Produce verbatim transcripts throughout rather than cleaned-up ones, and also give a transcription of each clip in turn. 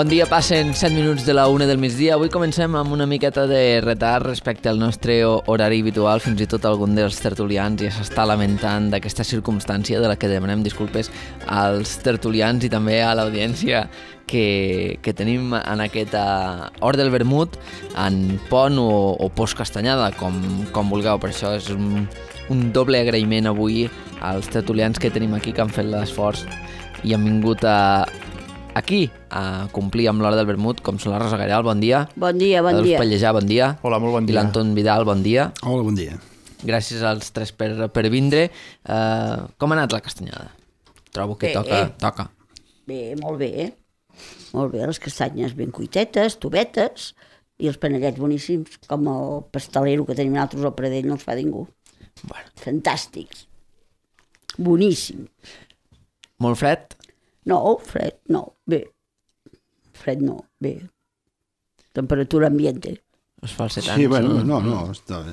Bon dia, passen set minuts de la una del migdia. Avui comencem amb una miqueta de retard respecte al nostre horari habitual. Fins i tot algun dels tertulians ja s'està lamentant d'aquesta circumstància, de la que demanem disculpes als tertulians i també a l'audiència que, que tenim en aquesta Hort del Vermut, en pont o, o postcastanyada, com, com vulgueu. Per això és un, un doble agraïment avui als tertulians que tenim aquí, que han fet l'esforç i han vingut a aquí a complir amb l'Hora del Vermut, com són la Rosa Gareal, bon dia. Bon dia, bon dia. Pallejà, bon dia. Hola, molt bon dia. I l'Anton Vidal, bon dia. Hola, bon dia. Gràcies als tres per, per vindre. Uh, com ha anat la castanyada? Trobo que bé, toca, toca. Bé, molt bé. Molt bé, les castanyes ben cuitetes, tubetes, i els panellets boníssims, com el pastelero que tenim nosaltres al Pradell, no els fa ningú. Bueno. Fantàstics. Boníssim. Molt fred? No, fred, no, bé. Fred no, bé. Temperatura ambiente. Els falsetans. Sí, bueno, no, no, està bé.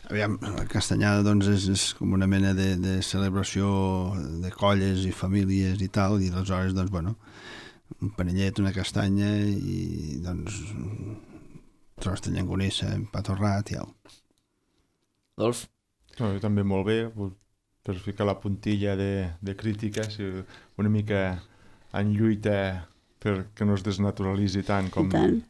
Aviam, la castanyada doncs és, és com una mena de, de celebració de colles i famílies i tal, i aleshores, doncs, bueno, un panellet, una castanya i, doncs, tros de llangonissa, pa torrat i au. Adolf? No, jo també molt bé, per ficar la puntilla de, de crítica, si una mica en lluita perquè no es desnaturalitzi tant com... tant.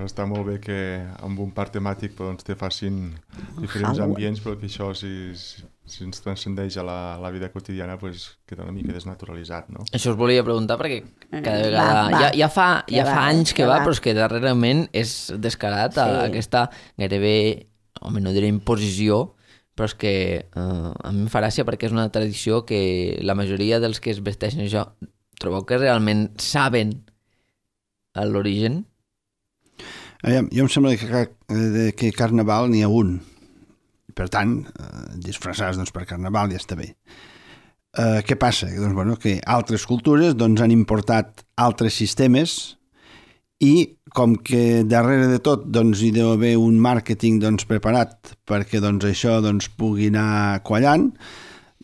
Està molt bé que amb un parc temàtic doncs, te facin diferents Halloween. ambients, però que això si, si, si ens transcendeix a la, la vida quotidiana pues, queda una mica desnaturalitzat, no? Això us volia preguntar perquè cada Va, vegada... va. Ja, ja fa, ja Ja fa va, anys que ja va, va. però és que darrerament és descarat a Sí. aquesta gairebé, home, no diré imposició, però és que eh, a mi em fa gràcia perquè és una tradició que la majoria dels que es vesteixen això, trobeu que realment saben l'origen? Aviam, jo em sembla que, que, que Carnaval n'hi ha un. Per tant, eh, disfressats doncs, per Carnaval ja està bé. Eh, què passa? Doncs, bueno, que altres cultures doncs, han importat altres sistemes i com que darrere de tot doncs, hi deu haver un màrqueting doncs, preparat perquè doncs, això doncs, pugui anar quallant,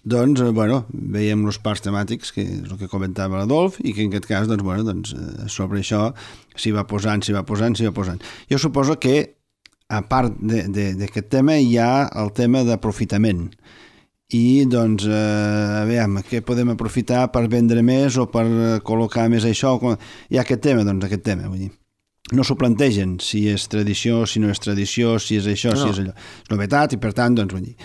doncs, bueno, veiem els parcs temàtics, que és el que comentava l'Adolf, i que en aquest cas, doncs, bueno, doncs, sobre això s'hi va posant, s'hi va posant, s'hi va posant. Jo suposo que, a part d'aquest tema, hi ha el tema d'aprofitament. I, doncs, eh, a veure, què podem aprofitar per vendre més o per col·locar més això? Hi ha aquest tema, doncs, aquest tema, vull dir. No s'ho plantegen si és tradició, si no és tradició, si és això, no. si és allò. És novetat i, per tant, doncs, vull dir...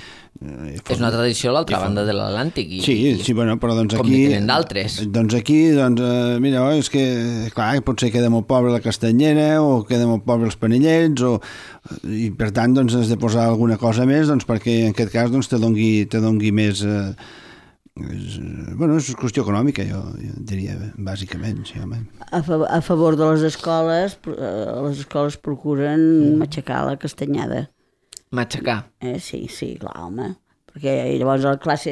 Eh, és una tradició a l'altra banda de l'Atlàntic. I, sí, i, sí, bueno, però doncs com aquí... Com tenen d'altres. Doncs aquí, doncs, eh, mira, és que, clar, potser queda molt pobre la castanyera o queda molt pobre els panellets o... I, per tant, doncs, has de posar alguna cosa més, doncs, perquè en aquest cas, doncs, te dongui, te dongui més... Eh, és, bueno, és qüestió econòmica, jo, jo diria, bàsicament, sí, home. A, fa a favor de les escoles, eh, les escoles procuren matxacar la castanyada. Matxacar. Eh, sí, sí, clar, home. Perquè llavors a la classe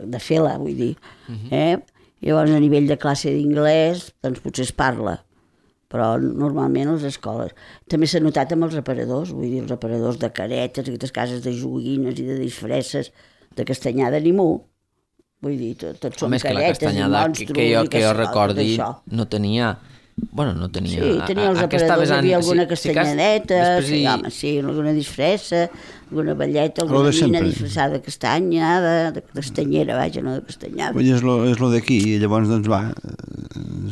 de fer-la, vull dir, uh-huh. eh? I llavors a nivell de classe d'inglès, doncs potser es parla. Però normalment les escoles... També s'ha notat amb els aparadors, vull dir, els aparadors de caretes, aquestes cases de joguines i de disfresses, de castanyada ni mu. Vull dir, tot, tot són caretes i monstros... Que jo, que jo això, recordi, no tenia... Bueno, no tenia... Sí, tenia els aparadors, hi havia alguna sí, castanyadeta, si sí, home, sí, alguna disfressa, alguna balleta, alguna nina disfressada de castanya, de, de castanyera, vaja, no de castanyada. Vull dir, és lo, és lo d'aquí, i llavors, doncs, va,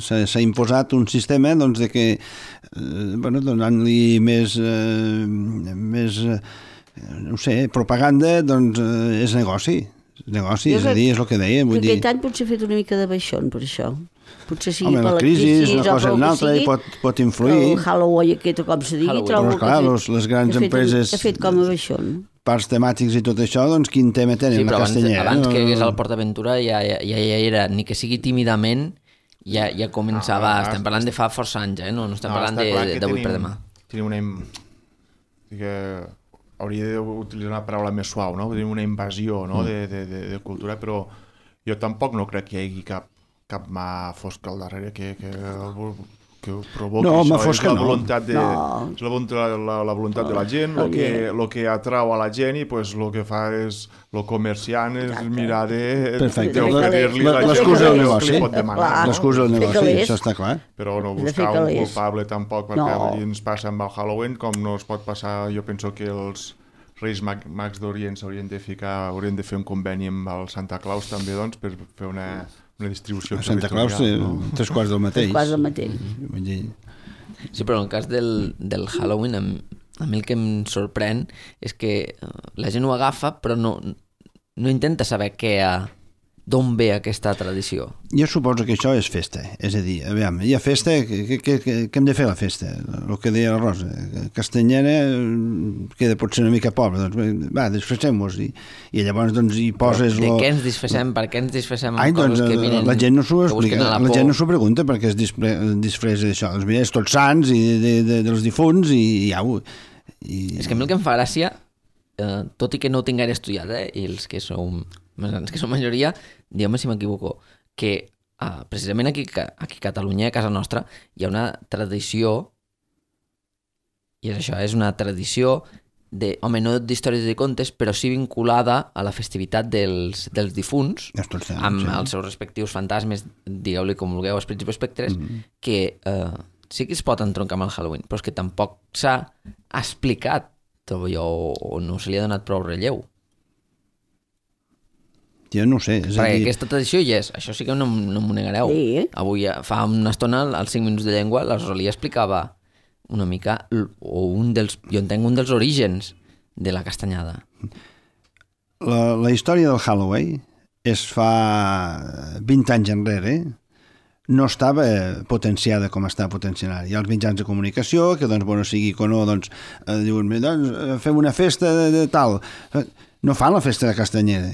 s'ha imposat un sistema, doncs, de que, eh, bueno, donant-li més, eh, més, eh, no sé, propaganda, doncs, eh, és negoci. És negoci, és a dir, és el que deia, vull dir... Aquest any potser ha fet una mica de baixón, per això. Potser sigui home, per la crisi, és una cosa o una altra i pot, pot influir. El Halloween aquest, o com se digui, trobo però, clar, les, les grans ha fet, empreses... Ha fet com a baixón. Parcs temàtics i tot això, doncs quin tema tenen? Sí, però la abans, castanyera. abans no? que hagués al PortAventura ja, ja, ja, ja era, ni que sigui tímidament, ja, ja començava... No, estem parlant de fa força anys, eh? No, no estem no, parlant d'avui per demà. Tenim una... Que hauria d'utilitzar una paraula més suau, no? Tenim una invasió, no? mm. de, de, de, de cultura, però jo tampoc no crec que hi hagi cap cap mà fosca al darrere que, que, que ho provoca no, això, fos és que la no. voluntat de, No. és la, voluntat, la, la voluntat de la gent, el que, lo que atrau a la gent i pues, el que fa és el comerciant és Exacte. mirar de- Perfecte. d'oferir-li La- la l'excusa del gent negoci. que li pot demanar. Clar. No? L'excusa del de negoci, calés. això està clar. Però no De buscar fer un calés. culpable tampoc, perquè No. no. ens passa amb el Halloween, com no es pot passar, jo penso que els Reis Mag Mags d'Orient s'haurien de ficar, haurien de fer un conveni amb el Santa Claus també, doncs, per fer una, una distribució A Santa Claus, eh, no? tres quarts del mateix. Quasi el mateix. Vull dir, Sí, però en el cas del, del Halloween, a, mi- a mi el que em sorprèn és que eh, la gent ho agafa, però no, no intenta saber què ha, d'on ve aquesta tradició. jo suposo que això és festa, és a dir, aviam, hi ha festa, què, què, què, què hem de fer a la festa? El que deia la Rosa, Castanyera eh, queda potser una mica pobre, doncs bé, va, disfressem-nos i, i llavors doncs hi poses... De lo... què ens disfressem? Per què ens disfressem amb Ai, doncs, coses que miren, la gent no s'ho que explica, busquen a la, la por? gent no s'ho pregunta perquè es dispre, disfressa d'això. Doncs mira, és tots sants i de, de, dels difunts i, i au. I... És que a mi el que em fa gràcia, eh, tot i que no ho tinc gaire estudiat, eh, i els que som més grans que som majoria, digueu-me si m'equivoco, que eh, precisament aquí, aquí a Catalunya, a casa nostra, hi ha una tradició, i és això, és una tradició de, home, no d'històries i de contes, però sí vinculada a la festivitat dels, dels difunts, És tots sants, amb sí. els seus respectius fantasmes, digueu-li com vulgueu, esprits i espectres, Mm -hmm. que eh, sí que es pot entroncar amb el Halloween, però és que tampoc s'ha explicat tot allò, o, o no se li ha donat prou relleu. Jo no ho sé, és a Perquè dir... aquesta tradició hi és, això sí que no, no m'ho negareu. Sí. Avui, eh, fa una estona, als cinc minuts de llengua, la Rosalia explicava una mica, l- o un dels, jo entenc un dels orígens de la castanyada. La, la història del Halloween es fa vint anys enrere, no estava potenciada com està potenciada. Hi ha els mitjans de comunicació, que doncs, bueno, sigui o no, doncs, eh, diuen, doncs, eh, fem una festa de, de tal. No fan la festa de Castanyeda,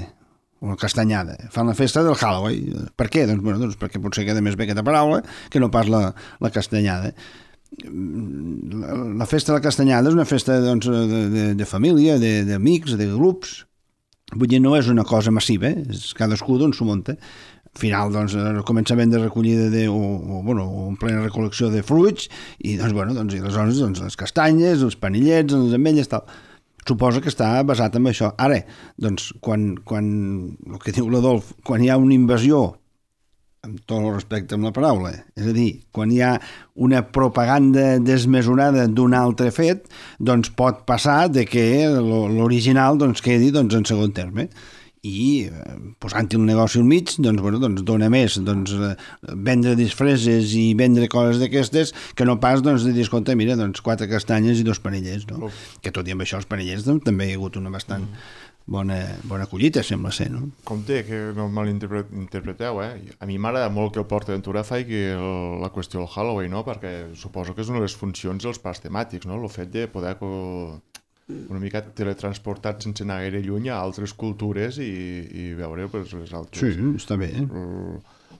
o la castanyada, fan la festa del Halloween. Per què? Doncs, bueno, doncs perquè potser queda més bé aquesta paraula que no pas la, la castanyada. La, la festa de la castanyada és una festa doncs, de, de, de família, de- d'amics, de, de grups. Vull dir, no és una cosa massiva, eh? És cadascú doncs s'ho munta. Al final, doncs, el començament de recollida de, o, o, bueno, o en plena recol·lecció de fruits, i doncs, bueno, doncs, i aleshores doncs, les castanyes, els panillets, les ametlles, tal. Suposo que està basat en això. Ara, doncs, quan, quan el que diu l'Adolf, quan hi ha una invasió, amb tot el respecte amb la paraula, és a dir, quan hi ha una propaganda desmesurada d'un altre fet, doncs pot passar de que lo- l'original doncs, quedi doncs, en segon terme. I eh, posant-hi el negoci al mig, doncs, bueno, doncs dona més doncs, eh, vendre disfresses i vendre coses d'aquestes que no pas doncs, de dir, escolta, mira, doncs, quatre castanyes i dos panellets, no? Uf. Que tot i amb això els panellets doncs, també hi ha hagut una bastant bona, bona collita, sembla ser, no? Compte, que no malinterpreteu, eh? A mi m'agrada molt que el Port Aventura faci el, la qüestió del Halloween, no? Perquè suposo que és una de les funcions dels parcs temàtics, no? El fet de poder co- una mica teletransportat sense anar gaire lluny a altres cultures i, i veure pues, les altres. Sí, està bé. Eh?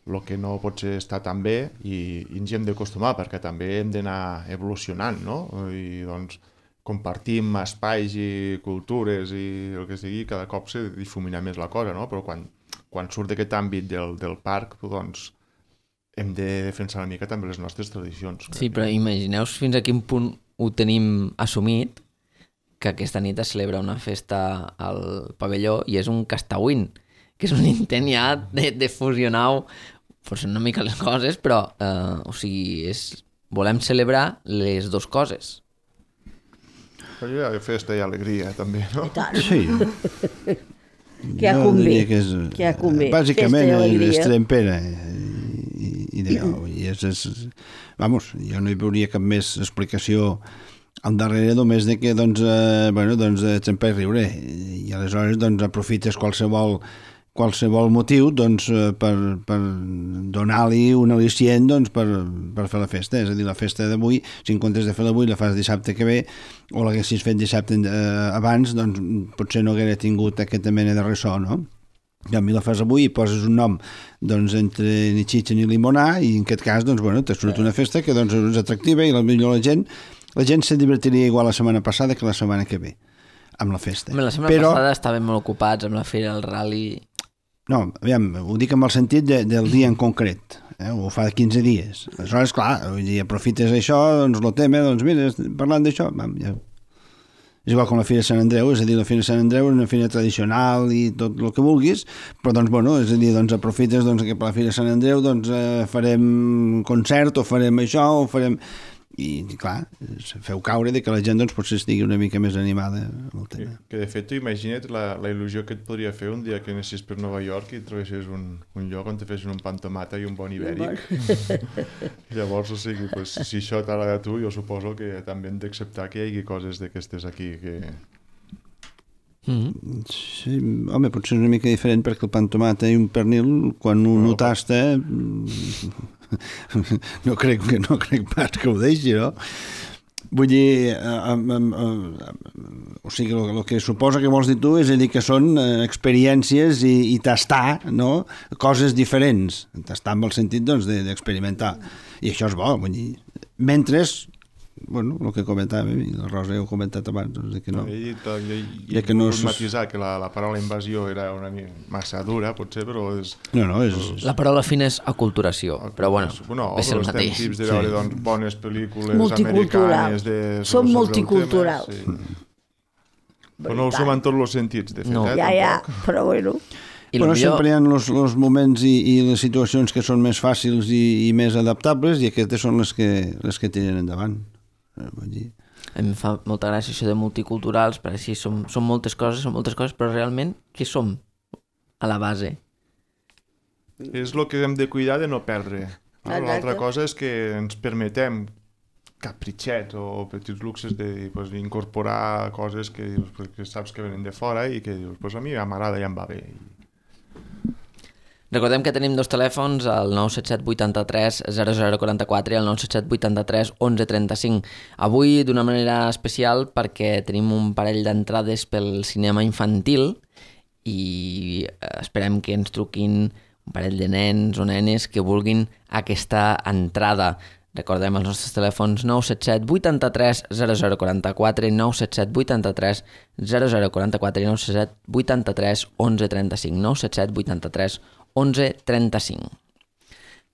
El que no pot ser estar tan bé i, i ens hi hem d'acostumar perquè també hem d'anar evolucionant, no? I doncs compartim espais i cultures i el que sigui, cada cop se difumina més la cosa, no? Però quan, quan surt d'aquest àmbit del, del parc, doncs hem de defensar una mica també les nostres tradicions. Sí, però imagineu fins a quin punt ho tenim assumit, que aquesta nit es celebra una festa al pavelló i és un castauín, que és un intent ja de, de fusionar forse una mica les coses, però eh, o sigui, és, volem celebrar les dues coses. Però hi ha festa i alegria, també, no? I tant. Sí. Que ha Jo convé. diria que és, Que ha convé. bàsicament Festa i és alegria. trempera i, i digueu, i és, és, vamos, jo no hi veuria cap més explicació al darrere només de que doncs, eh, bueno, doncs, eh, trempar i riure i aleshores doncs aprofites qualsevol qualsevol motiu doncs, eh, per, per donar-li un al·licient doncs, per, per fer la festa, és a dir, la festa d'avui, si en comptes de fer l'avui la fas dissabte que ve o l'haguessis fet dissabte eh, abans, doncs potser no haguera tingut aquesta mena de ressò, no? I a mi la fas avui i poses un nom doncs, entre ni xitxa ni limonar i en aquest cas doncs, bueno, t'ha sortit una festa que doncs, és atractiva i potser la gent la gent se divertiria igual la setmana passada que la setmana que ve amb la festa. Home, la setmana Però, passada estàvem molt ocupats amb la fira, el rally... no, aviam, ho dic amb el sentit de, del dia en concret. eh? O fa quinze dies. Aleshores, clar, vull dir, aprofites això, doncs el tema, doncs mira, parlant d'això, vam, ja... És igual com la Fira de Sant Andreu, és a dir, la Fira de Sant Andreu és una fira tradicional i tot el que vulguis, però doncs, bueno, és a dir, doncs aprofites doncs, que per la Fira de Sant Andreu doncs, eh, farem concert o farem això o farem... I, clar, feu caure de que la gent doncs, potser estigui una mica més animada amb el tema. Que, que de fet, tu imagina't la, la il·lusió que et podria fer un dia que anessis per Nova York i trobessis un, un lloc on te fessin un pa amb tomata i un bon ibèric. Llavors, o sigui, pues, si això t'agrada a tu, jo suposo que també hem d'acceptar que hi hagi coses d'aquestes aquí que... Mm-hmm. Sí, home, potser és una mica diferent perquè el pa amb tomata i un pernil, quan un no, ho tasta... no crec, no crec pas que ho deixi, no? Vull dir, eh, eh, eh, o sigui, el, el que suposa que vols dir tu és a dir que són eh, experiències i, i tastar, no?, coses diferents. Tastar en el sentit, doncs, d'experimentar. I això és bo, vull dir. Mentre, bueno, el que comentàvem, i la Rosa ja ho ha comentat abans, doncs, de que no... I, i, i, de que no és... matisar que la, la paraula invasió era una massa dura, potser, però és... No, no, és... La paraula fina és aculturació, però bueno, no, és el mateix. Tips de veure, sí, doncs, bones pel·lícules multiculturals. americanes de... Som multiculturals. Tema, sí. Però no ho som en tots els sentits, de fet, no. eh, ja, ja, però bueno... I però millor... sempre hi ha els, els moments i, i les situacions que són més fàcils i, i més adaptables i aquestes són les que, les que tiren endavant. Vull dir. A mi em fa molta gràcia això de multiculturals, perquè sí, som, som moltes coses, som moltes coses, però realment què som a la base? És el que hem de cuidar de no perdre. No? L'altra cosa és que ens permetem capritxets o petits luxes de pues, incorporar coses que, dius, que saps que venen de fora i que dius, pues a mi m'agrada i em va bé. Recordem que tenim dos telèfons, el nou set set vuitanta-tres zero zero quaranta-quatre i el nou set set vuitanta-tres onze trenta-cinc. Avui d'una manera especial perquè tenim un parell d'entrades pel cinema infantil i esperem que ens truquin un parell de nens o nenes que vulguin aquesta entrada. Recordem els nostres telèfons nou set set vuitanta-tres zero zero quaranta-quatre, nou set set vuitanta-tres zero zero quaranta-quatre i nou set set vuitanta-tres onze trenta-cinc, nou set set vuitanta-tres onze trenta-cinc.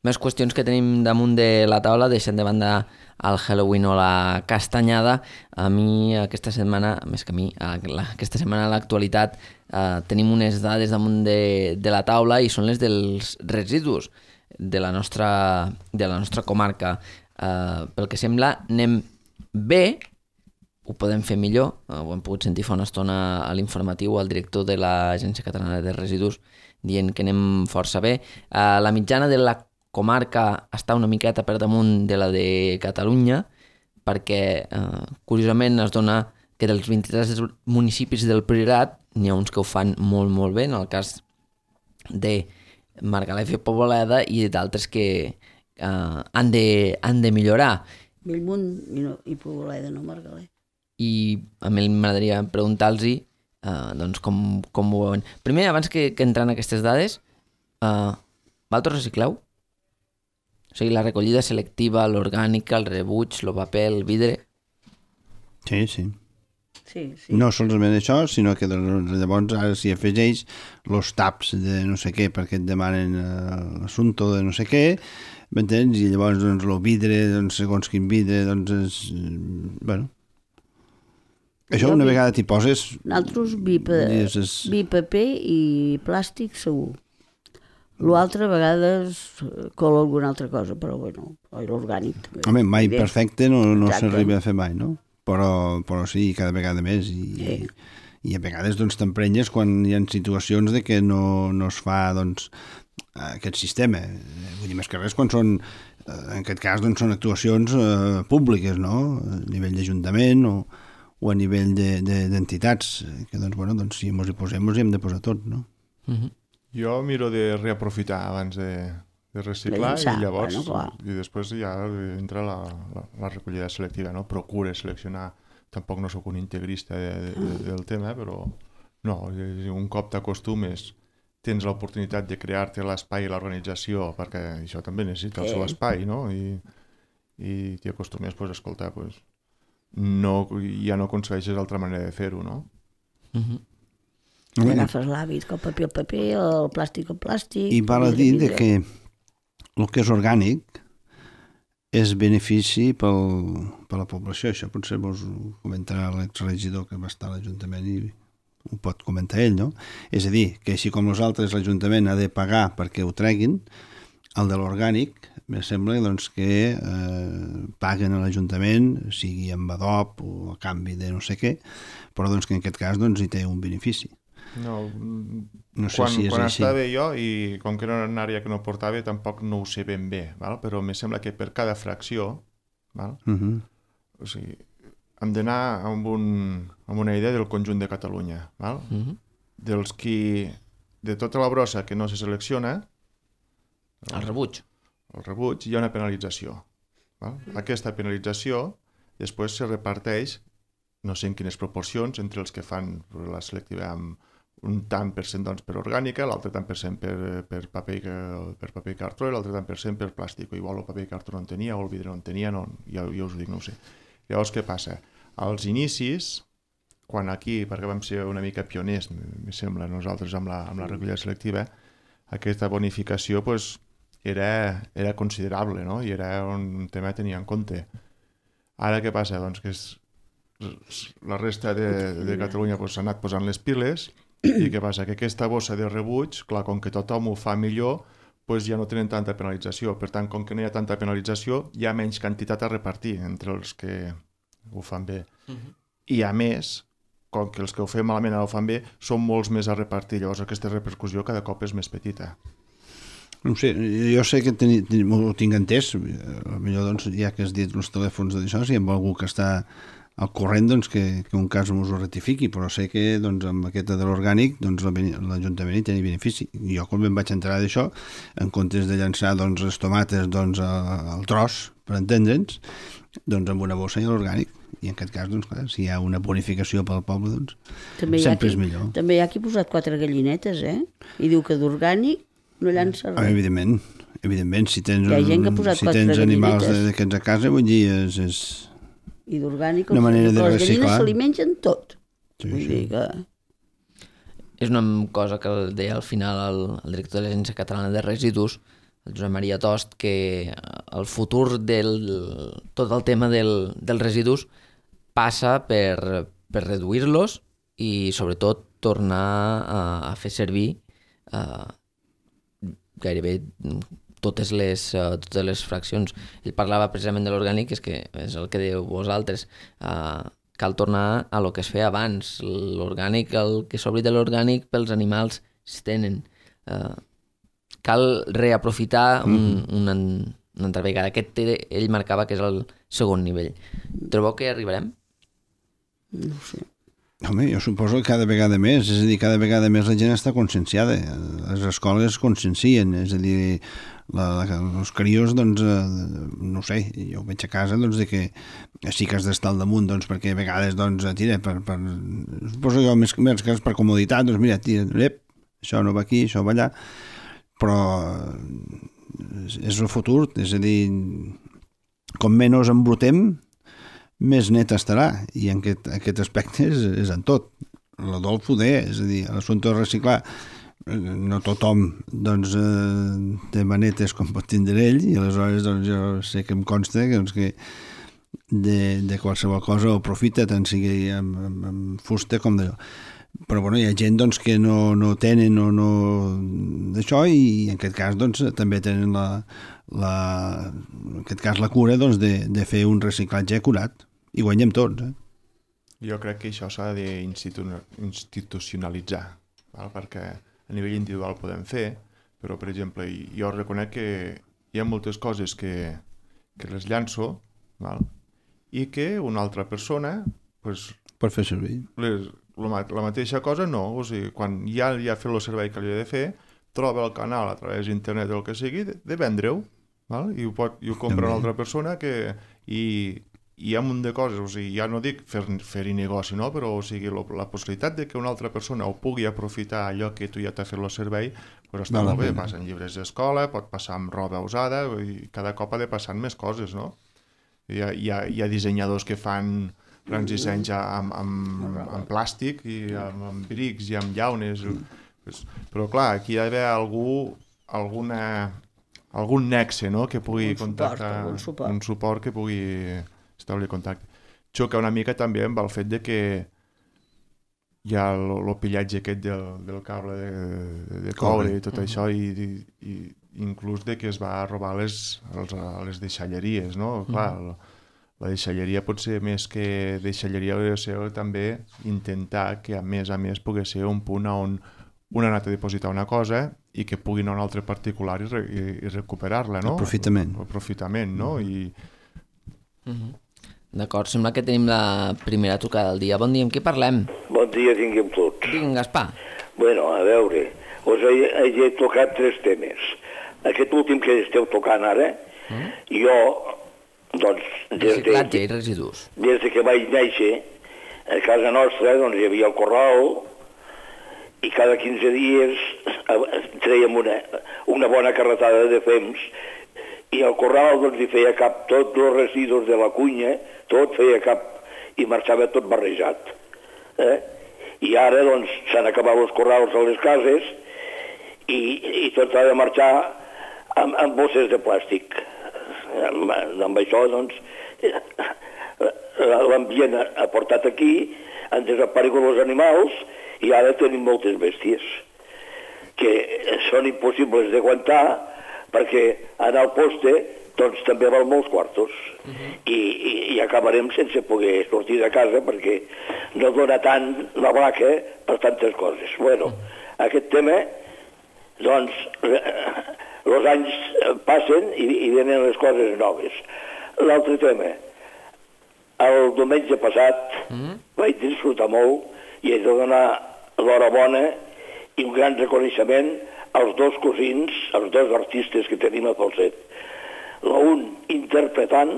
Més qüestions que tenim damunt de la taula, deixant de banda el Halloween o la castanyada. A mi aquesta setmana, més que a mi, aquesta setmana a l'actualitat eh, tenim unes dades damunt de, de la taula i són les dels residus de la nostra, de la nostra comarca. Eh, pel que sembla anem bé, ho podem fer millor, eh, ho hem pogut sentir fa una estona a l'informatiu al director de l'Agència Catalana de Residus dient que anem força bé. Eh, la mitjana de la comarca està una miqueta per damunt de la de Catalunya perquè, eh, curiosament, es dona que dels vint-i-tres municipis del Priorat n'hi ha uns que ho fan molt, molt bé, en el cas de Margalef i Poboleda, i d'altres que eh, han, de, han de millorar. Bellmunt i, no, i Poboleda, no Margalef. I a mi m'agradaria preguntar-los Uh, doncs com, com ho veuen. Primer, abans que, que entren aquestes dades, uh, vosaltres recicleu? O sigui, la recollida selectiva, l'orgànica, el rebuig, el paper, el vidre... Sí, sí. Sí, sí. No solament això, sinó que doncs, llavors ara s'hi afegeix els taps de no sé què perquè et demanen uh, l'assumpte de no sé què, m'entens? I llavors doncs, el vidre, doncs, segons quin vidre, doncs, és, bueno... Això una vegada t'hi poses... Nosaltres vi, pa, és... vi paper i plàstic segur. L'altre a vegades cola alguna altra cosa, però bueno, l'orgànic. Home, mai perfecte no, no s'arriba a fer mai, no? Però, però sí, cada vegada més. I, sí. I a vegades doncs, t'emprenyes quan hi ha situacions de que no, no es fa doncs, aquest sistema. Vull dir, més que res quan són... En aquest cas doncs, són actuacions eh, públiques, no? A nivell d'Ajuntament o... o a nivell d'entitats, de, de, que doncs, bueno, doncs, si ens hi posem, ens hi hem de posar tot, no? Uh-huh. Jo miro de reaprofitar abans de, de reciclar i llavors, bueno, i després ja entra la, la, la recollida selectiva, no? Procure seleccionar, tampoc no sóc un integrista de, de, de, del tema, però no, un cop t'acostumes, tens l'oportunitat de crear-te l'espai i l'organització, perquè això també necessita el seu espai, no? I, i t'hi acostumes, pues, escoltar, pues, no, ja no aconsegueixes altra manera de fer-ho, no? Uh-huh. I agafes l'hàbit, que el paper el paper, el plàstic el plàstic... I val a dir de que el que és orgànic és benefici pel, per la població. Això potser vos ho comentarà l'exregidor que va estar a l'Ajuntament i ho pot comentar ell, no? És a dir, que així com nosaltres l'Ajuntament ha de pagar perquè ho treguin, el de l'orgànic me sembla doncs, que eh, paguen a l'Ajuntament, sigui amb adob o a canvi de no sé què, però doncs, que en aquest cas doncs, hi té un benefici. No, no sé quan, si és quan així. estava jo, i com que era una àrea que no portava, tampoc no ho sé ben bé, val? Però me sembla que per cada fracció, val? Uh-huh. O sigui, hem d'anar amb, un, amb una idea del conjunt de Catalunya. Val? Uh-huh. Dels qui, de tota la brossa que no se selecciona, El rebuig. el rebuig, hi ha una penalització. Val? Aquesta penalització després se reparteix, no sé en quines proporcions, entre els que fan la selectiva amb un tant per cent doncs, per orgànica, l'altre tant per cent per, per, paper, per paper i cartró i l'altre tant per cent per plàstic. O igual el paper i cartró no en tenia, o el vidre no en tenia, no, ja, ja us ho dic, no ho sé. Llavors, què passa? Als inicis, quan aquí, perquè vam ser una mica pioners, me sembla, nosaltres amb la, amb la recollida selectiva, aquesta bonificació pues, era, era considerable, no? I era un tema a tenir en compte. Ara què passa? Doncs que és, la resta de, de Catalunya s'ha pues, anat posant les piles i què passa? Que aquesta bossa de rebuig, clar, com que tothom ho fa millor, pues ja no tenen tanta penalització. Per tant, com que no hi ha tanta penalització, hi ha menys quantitat a repartir entre els que ho fan bé. Uh-huh. I a més, com que els que ho fem malament ara ho fan bé, són molts més a repartir. Llavors aquesta repercussió cada cop és més petita. No sé, jo sé que ten, ten, ho tinc entès, potser doncs, ja que has dit els telèfons d'això, si hi ha algú que està al corrent doncs, que, que un cas us ho rectifiqui, però sé que doncs, amb aquesta de l'orgànic doncs, l'Ajuntament hi té benefici. Jo quan em vaig enterar d'això, en comptes de llançar doncs, les tomates doncs, al tros, per entendre'ns, doncs amb una bossa i l'orgànic. I en aquest cas, doncs, clar, si hi ha una bonificació pel poble, doncs també sempre qui, és millor. També hi ha qui ha posat quatre gallinetes, eh? I diu que d'orgànic no llança res. Ah, evidentment, evidentment, si tens, Hi ha gent que ha posat si quatre tens animals gallinetes. d'aquests a casa, vull dir, és... és... I d'orgànic, Una manera de les reciclar. gallines se li mengen tot. Sí, Vull sí. dir que... És una cosa que deia al final el, el director de l'Agència Catalana de Residus, el Josep Maria Tost, que el futur del tot el tema del, dels residus passa per, per reduir-los i sobretot tornar a, a fer servir uh, gairebé totes les, uh, totes les fraccions. Ell parlava precisament de l'orgànic, és que és el que diu vosaltres, uh, cal tornar a lo que es feia abans. L'orgànic, el que s'obri de l'orgànic pels animals es tenen. Uh, cal reaprofitar un, Mm-hmm. una, una altra vegada. Aquest ell marcava que és el segon nivell. Trobeu que arribarem? No ho sé. Home, jo suposo que cada vegada més, és a dir, cada vegada més la gent està conscienciada. Les escoles es consciencien, és a dir, la, la, els crios, doncs, eh, no sé, jo ho veig a casa, doncs, de que sí que has d'estar al damunt, doncs, perquè a vegades, doncs, tira, per, per, suposo jo més, més que per comoditat, doncs, mira, tira, ep, això no va aquí, això va allà, però és, és el futur, és a dir, com menys embrutem, més net estarà, i en aquest, aquest aspecte és, és en tot. L'Adolf ho deia, és a dir, l'assumpte de reciclar, no tothom doncs, eh, té manetes com pot tindre ell, i aleshores doncs, jo sé que em consta que, doncs, que de, de qualsevol cosa ho aprofita, tant sigui amb, amb, amb fusta com d'allò. Però bueno, hi ha gent doncs, que no, no tenen o no d'això, i en aquest cas doncs, també tenen la, la, en aquest cas la cura doncs, de, de fer un reciclatge acurat, i guanyem tots. Eh? Jo crec que això s'ha d'institucionalitzar, val? Perquè a nivell individual podem fer, però per exemple jo reconec que hi ha moltes coses que, que les llanço, val? I que una altra persona pues, per fer servir. Les, la, la mateixa cosa no, o sigui, quan ja, ja ha fet el servei que li ha de fer, troba el canal a través d'internet o el que sigui, de, de vendre-ho, val? I ho, pot, i ho compra També. una altra persona que... I, hi ha un munt de coses, o sigui, ja no dic fer, fer-hi negoci, no? Però o sigui, lo, la possibilitat de que una altra persona ho pugui aprofitar allò que tu ja t'ha fet el servei, pues està Val la molt bé, pena. passen llibres d'escola, pot passar amb roba usada, i cada cop ha de passar més coses, no? Hi ha, hi ha, hi ha dissenyadors que fan grans dissenys amb, amb, amb plàstic, i amb, amb brics i amb llaunes, però clar, aquí hi ha d'haver algú, alguna algun nexe, no?, que pugui un contactar... Suport, un suport. Un suport que pugui establir contacte. Xoca una mica també amb el fet de que hi ha el, el pillatge aquest del, del cable de, de coure i tot uh -huh. això, i, i, i inclús de que es va robar les, els, les deixalleries, no? Clar, uh -huh. la deixalleria pot ser més que deixalleria, hauria de ser també intentar que a més a més pugui ser un punt on un ha anat a dipositar una cosa i que pugui anar a un altre particular i, re, i, i recuperar-la, no? Aprofitament. Aprofitament, no? Uh -huh. I... Uh -huh. D'acord, sembla que tenim la primera trucada del dia. Bon dia, amb qui parlem? Bon dia, tinguem tots. Vinga, Gaspar. Bueno, a veure, us he, he tocat tres temes. Aquest últim que esteu tocant ara, mm? jo, doncs, des de, Reciclatge i residus. Des de que vaig néixer, a casa nostra, doncs, hi havia el corral, i cada quinze dies trèiem una, una bona carretada de fems, i el corral, doncs, hi feia cap tots els residus de la cunya, tot feia cap, i marxava tot barrejat. Eh? I ara, doncs, s'han acabat els corrals a les cases i, i tot ha de marxar amb, amb bosses de plàstic. Amb, amb això, doncs, l'ambient ha portat aquí, han desaparegut els animals i ara tenim moltes bèsties que són impossibles d'aguantar perquè anar al poste doncs també val molts quartos. Uh -huh. I, i, i acabarem sense poder sortir de casa perquè no dona tant la vaca per tantes coses. Bueno, uh -huh. aquest tema, doncs, els anys passen i, i venen les coses noves. L'altre tema, el diumenge passat uh -huh. vaig disfrutar molt i he de donar l'hora bona i un gran reconeixement als dos cosins, als dos artistes que tenim a Falset. L'un interpretant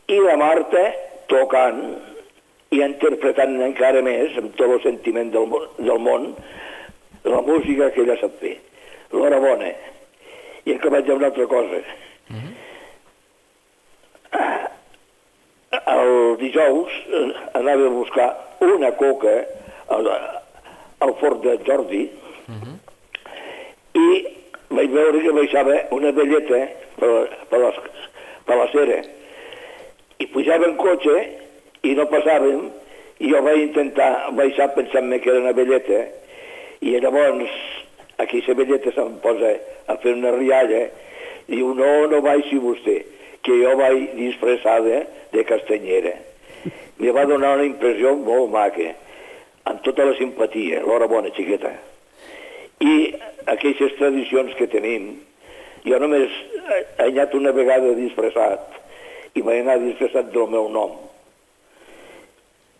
i la Marta tocant i interpretant encara més, amb tot el sentiment del, del món, la música que ella sap fer. L'hora bona. I he acabat amb una altra cosa. Uh-huh. El dijous anava a buscar una coca al, al fort de Jordi uh-huh. i vaig veure que baixava una velleta per, per, les, per la cera i pujava en cotxe i no passàvem i jo vaig intentar baixar pensant-me que era una velleta i llavors aquesta velleta se'm posa a fer una rialla i diu no, no baixi vostè que jo vaig disfressada de castanyera. Me va donar una impressió molt maca, amb tota la simpatia, l'hora bona, xiqueta. I aquestes tradicions que tenim, jo només he anat una vegada disfressat i vaig anar disfressat del meu nom.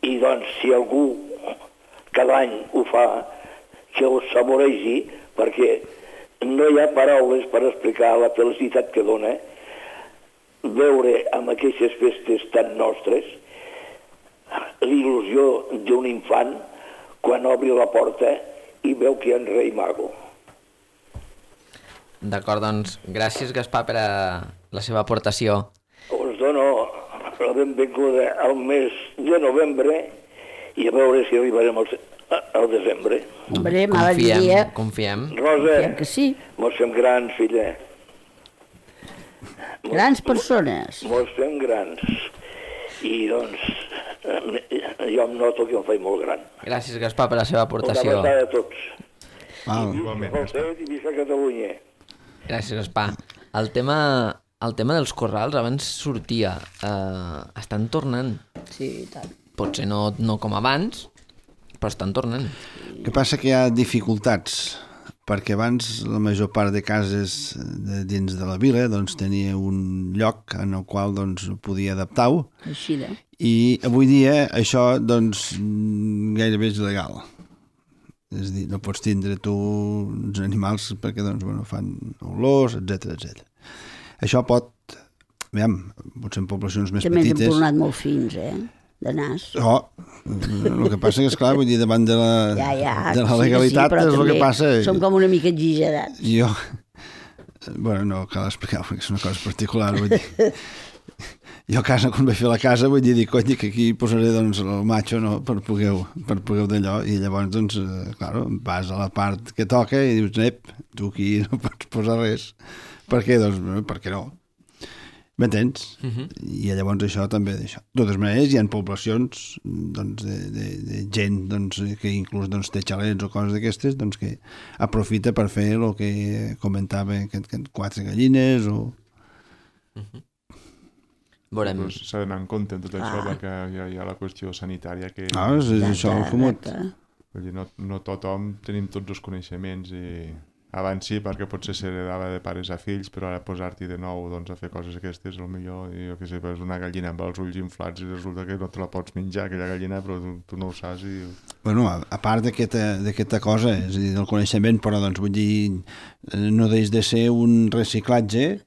I doncs, si algú cada any ho fa, que ho saboregi, perquè no hi ha paraules per explicar la felicitat que dona veure amb aquestes festes tan nostres l'il·lusió d'un infant quan obri la porta i veu que hi ha un rei mago. D'acord, doncs, gràcies, Gaspar, per a la seva aportació. Us dono la benvinguda al mes de novembre i a veure si arribarem al, al desembre. Hombre, mala Confiem, dia. confiem. Rosa, Confiem que sí. mos fem grans, filla. Grans persones. Mos fem grans. I, doncs, jo em noto que em faig molt gran. Gràcies, Gaspar, per la seva Una aportació. abraçada a tots. Val. I visca Falset i visca Catalunya. Gràcies, Gaspar. El tema, el tema dels corrals abans sortia. Eh, estan tornant. Sí, i tant. Potser no, no com abans, però estan tornant. El que passa que hi ha dificultats, perquè abans la major part de cases de dins de la vila doncs, tenia un lloc en el qual doncs, podia adaptar-ho, Així de. i avui dia això doncs, gairebé és il·legal. És a dir, no pots tindre tu uns animals perquè doncs, bueno, fan olors, etcètera etcètera. Això pot, veiem, potser en poblacions més També ens petites... hem tornat molt fins, eh? De nas. Oh, el que passa que, esclar, vull dir, davant de la, Ja, ja, de la sí, legalitat sí, és el que passa. Som com una mica exagerats. Jo, bueno, no cal explicar perquè és una cosa particular, vull dir. Jo a casa, quan vaig fer la casa, vull dir, dic, cony, que aquí posaré doncs, el macho no, per poder, per poder d'allò, i llavors, doncs, eh, claro, vas a la part que toca i dius, ep, tu aquí no pots posar res. Per què? Doncs, per què no? M'entens? Uh -huh. I llavors això també d'això. De totes maneres, hi ha poblacions doncs, de, de, de gent doncs, que inclús doncs, té xalets o coses d'aquestes doncs, que aprofita per fer el que comentava, que, que quatre gallines o... Uh -huh. Veurem. Pues s'ha d'anar en compte en tot això, ah. perquè hi ha, hi ha la qüestió sanitària que... Ah, és, és això el comú. Vull dir, no, no tothom tenim tots els coneixements i... Abans sí, perquè potser s'heredava de pares a fills, però ara posar-t'hi de nou doncs, a fer coses aquestes, el millor, i jo què sé, és una gallina amb els ulls inflats i resulta que no te la pots menjar, aquella gallina, però tu, tu no ho saps i... Bueno, a, a part d'aquesta cosa, és a dir, del coneixement, però doncs vull dir, no deix de ser un reciclatge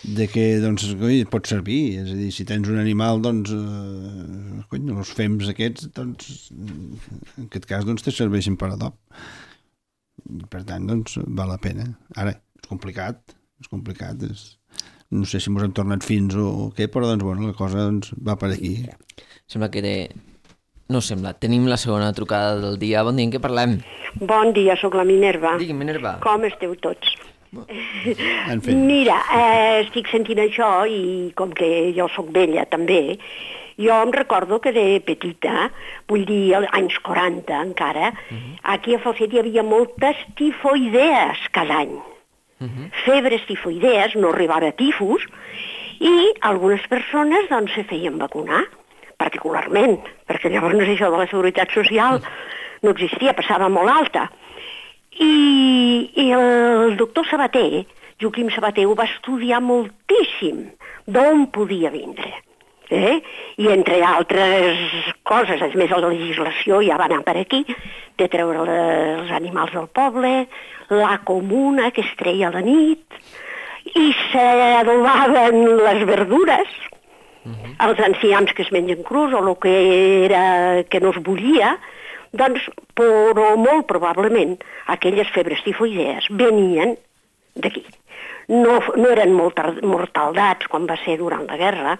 de que, doncs, coi, pot servir, és a dir, si tens un animal, doncs, eh, cony, els fems aquests, doncs, en aquest cas, doncs, te serveixen per adob. Per tant, doncs, val la pena. Ara, és complicat, és complicat, és... no sé si mos hem tornat fins o què, però, doncs, bueno, la cosa doncs, va per aquí. Sembla que... De... No sembla, tenim la segona trucada del dia. Bon dia, en què parlem? Bon dia, sóc la Minerva. Digui, Minerva. Com esteu tots? En fi. Mira, eh, estic sentint això i com que jo sóc vella també, jo em recordo que de petita, vull dir, als anys quaranta encara, uh -huh. aquí a Falset hi havia moltes tifoidees cada any. Uh -huh. Febres tifoidees, no arribava a tifus, i algunes persones doncs se feien vacunar, particularment, perquè llavors això de la Seguretat Social no existia, passava molt alta. I, i el doctor Sabater, Joaquim Sabater, ho va estudiar moltíssim, d'on podia vindre. Eh? I entre altres coses, a més la legislació ja va anar per aquí, de treure els animals del poble, la comuna que es treia a la nit, i s'adobaven les verdures, uh-huh. els ancians que es mengen crus o el que era que no es bullia, doncs, però molt probablement aquelles febres tifoidees venien d'aquí. No, no eren mortaldats com va ser durant la guerra,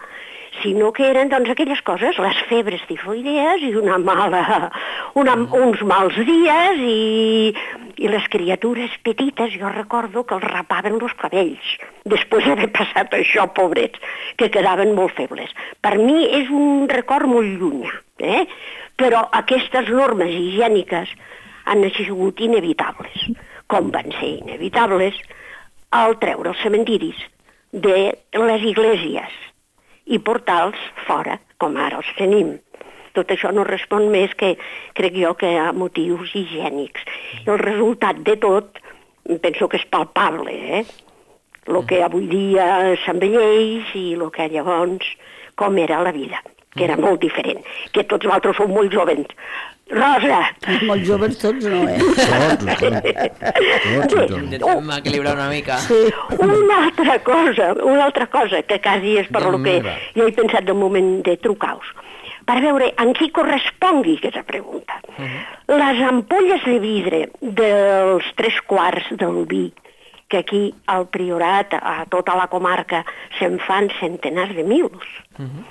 sinó que eren doncs, aquelles coses, les febres tifoidees i una mala, una, uns mals dies i, i les criatures petites, jo recordo que els rapaven els cabells, després d'haver passat això, pobrets, que quedaven molt febles. Per mi és un record molt llunyà, eh? Però aquestes normes higièniques han sigut inevitables, com van ser inevitables al treure els cementiris de les iglesias i portar-los fora, com ara els tenim. Tot això no respon més que, crec jo, que a motius higiènics. I el resultat de tot, penso que és palpable, eh? El que avui dia s'envelleix i el que llavors, com era la vida, que era molt diferent, que tots vosaltres sou molt jovens. Rosa! Molt joves tots, no, eh? Intentem equilibrar una mica. Sí. Una altra cosa, una altra cosa, que quasi és per lo que jo he pensat del moment de trucar-vos, per veure en qui correspongui aquesta pregunta. Uh-huh. Les ampolles de vidre dels tres quarts del vi, que aquí al Priorat, a tota la comarca, se'n fan centenars de mils. Uh-huh.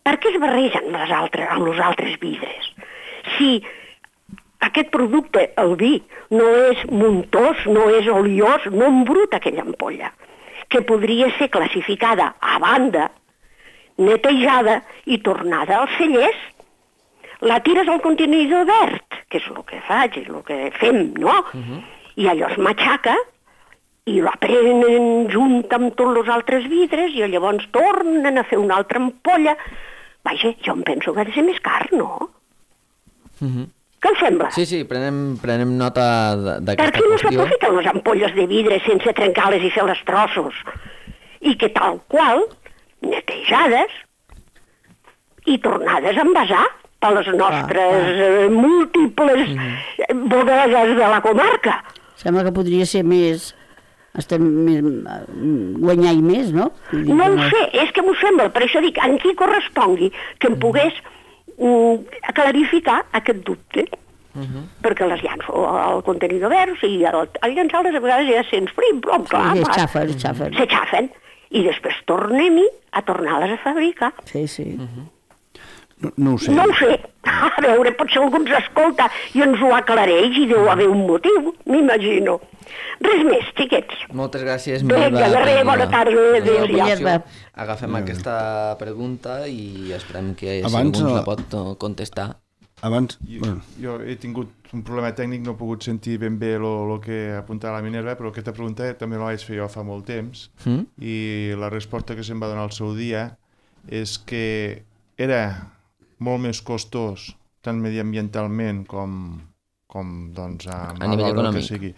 Per què es barregen les altres, amb els altres vidres? Si aquest producte, el vi, no és muntós, no és oliós, no embruta aquella ampolla, que podria ser classificada a banda, netejada i tornada als cellers, la tires al contenidor verd, que és el que faig, és el que fem, no? Uh-huh. I allò es matxaca i la prenen junt amb tots els altres vidres i llavors tornen a fer una altra ampolla. Vaja, jo em penso que ha de ser més car, no? Uh-huh. Què em sembla? Sí, sí, prenem, prenem nota d'aquesta qüestió. Per què no s'aprofiten les ampolles de vidre sense trencar-les i fer-les trossos? I que tal qual, netejades i tornades a envasar per les nostres ah, ah. múltiples uh-huh. bodegues de la comarca. Sembla que podria ser més... estem més, guanyar més, no? No ho sé, és que m'ho sembla, per això dic, en qui correspongui que em pogués mm, clarificar aquest dubte, uh-huh. perquè les llanço al contenidor verd i al, al llançar-les a vegades ja sents frim, però clar, sí, s'aixafen, s'aixafen. S'aixafen, i després tornem-hi a tornar-les a fabricar. Sí, sí. Uh-huh. No, no ho sé. No ho sé. A veure, potser algú ens escolta i ens ho aclareix i deu haver un motiu, m'imagino. Res més, xiquets. Moltes gràcies, Vinga, Minerva. de res, per bona la- tarda, per la adéu, Minerva. aportació. Agafem aquesta pregunta i esperem que si Abans, algú ens eh, la pot eh, contestar. Abans... Jo, Bueno, jo he tingut un problema tècnic, no he pogut sentir ben bé el que apuntava la Minerva, però aquesta pregunta també la vaig fer jo fa molt temps, Mm? i la resposta que se'm va donar al seu dia és que era molt més costós, tant mediambientalment com, com doncs, a, A nivell l'hora econòmic. que sigui,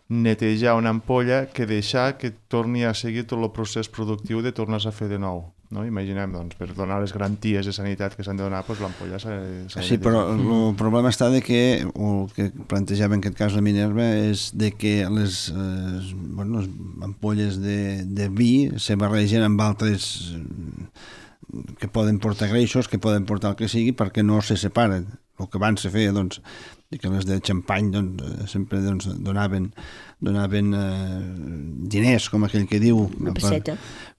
netejar una ampolla que deixar que torni a seguir tot el procés productiu de tornar-se a fer de nou. No? Imaginem, doncs, per donar les garanties de sanitat que s'han de donar, doncs, l'ampolla s'ha s'ha de sí, però el problema està de que, o el que plantejava en aquest cas la Minerva, és de que les, eh, bueno, les ampolles de, de vi se barregen amb altres eh, que poden portar greixos, que poden portar el que sigui, perquè no se separen. El que abans se feia, doncs, de que les de xampany doncs, eh, sempre doncs, donaven, donaven eh, diners, com aquell que diu, Una per, pesseta.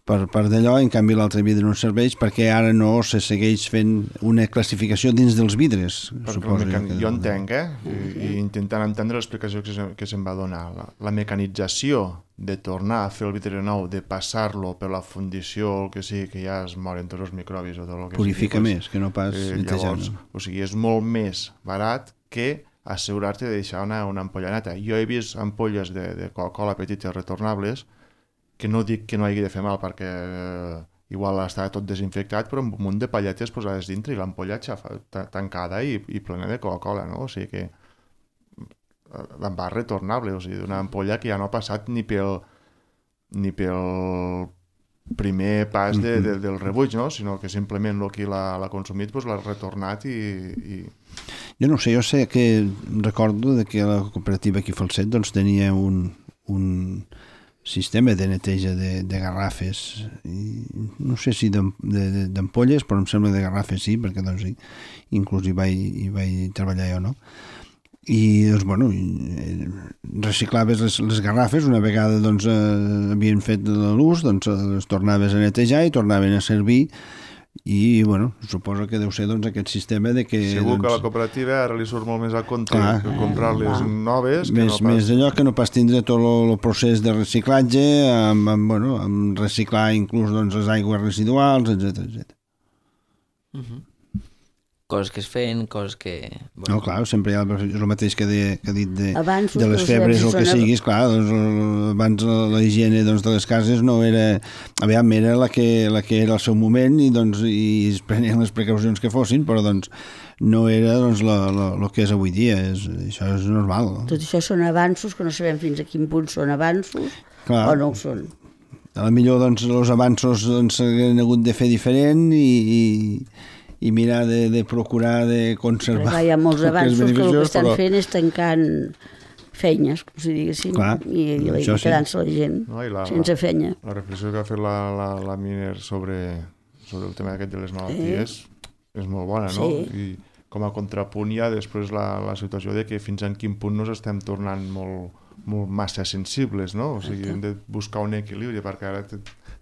per, per d'allò, en canvi l'altre vidre no serveix perquè ara no se segueix fent una classificació dins dels vidres. Perquè suposo el mecan... que- Jo entenc, eh? I, i intentant entendre l'explicació que, se, que se'm va donar. La, la mecanització de tornar a fer el vidre nou, de passar-lo per la fundició o el que sigui, que ja es moren tots els microbis o tot el que Purifica sigui, més, que no pas eh, netejant. llavors, o sigui, és molt més barat que assegurar-te de deixar una, una ampolla neta. Jo he vist ampolles de, de Coca-Cola petites retornables que no dic que no hagi de fer mal perquè eh, igual està tot desinfectat, però amb un munt de palletes posades dintre i l'ampolla xafa, ta- tancada i, i plena de Coca-Cola, no? O sigui que l'envàs retornable, o sigui, d'una ampolla que ja no ha passat ni pel ni pel primer pas de, de, del rebuig, no? Sinó que simplement el que l'ha consumit doncs, l'ha retornat i, i... Jo no sé, jo sé que recordo de que la cooperativa aquí a Falset doncs, tenia un, un sistema de neteja de, de garrafes, i no sé si d'ampolles, però em sembla de garrafes sí, perquè doncs, sí, inclús hi vaig, hi vaig treballar jo, no? I doncs, bueno, reciclaves les, les garrafes, una vegada doncs, eh, havien fet l'ús, doncs les tornaves a netejar i tornaven a servir, i bueno, suposo que deu ser doncs, aquest sistema de que... Segur doncs, que a la cooperativa ara li surt molt més a compte clar, que comprar-les noves. Que més, no pas... més allò que no pas tindre tot el procés de reciclatge, amb, amb, bueno, amb reciclar inclús doncs, les aigües residuals, etcètera etcètera. Uh-huh. Coses que es feien, coses que... Bueno. No, clar, sempre hi ha el, el mateix que, de, que ha dit de, Avanços de les que febres o el que són- siguis, clar, doncs, el- abans la, la higiene doncs, de les cases no era... Aviam, era la que, la que era al seu moment i, doncs, i es prenien les precaucions que fossin, però doncs, no era doncs, el que és avui dia, és, això és normal. No? Tot això són avanços que no sabem fins a quin punt són avanços Clar. o no ho són. A la millor doncs, els avanços doncs, s'hagueren hagut de fer diferent i, i, i mirar de, de procurar de conservar. Perquè hi ha molts el que és avanços que el que beneficiós, estan però- fent és tancant feines, com si diguéssim, Clar, i, i, i això sí. quedant-se la gent No, i la- sense feina. La reflexió que ha fet la, la, la Miner sobre, sobre el tema aquest de les malalties és molt bona, no? Sí. I com a contrapunt hi ha després la, la situació de que fins en quin punt nos estem tornant molt, molt massa sensibles, no? O sigui, hem de buscar un equilibri, perquè ara t-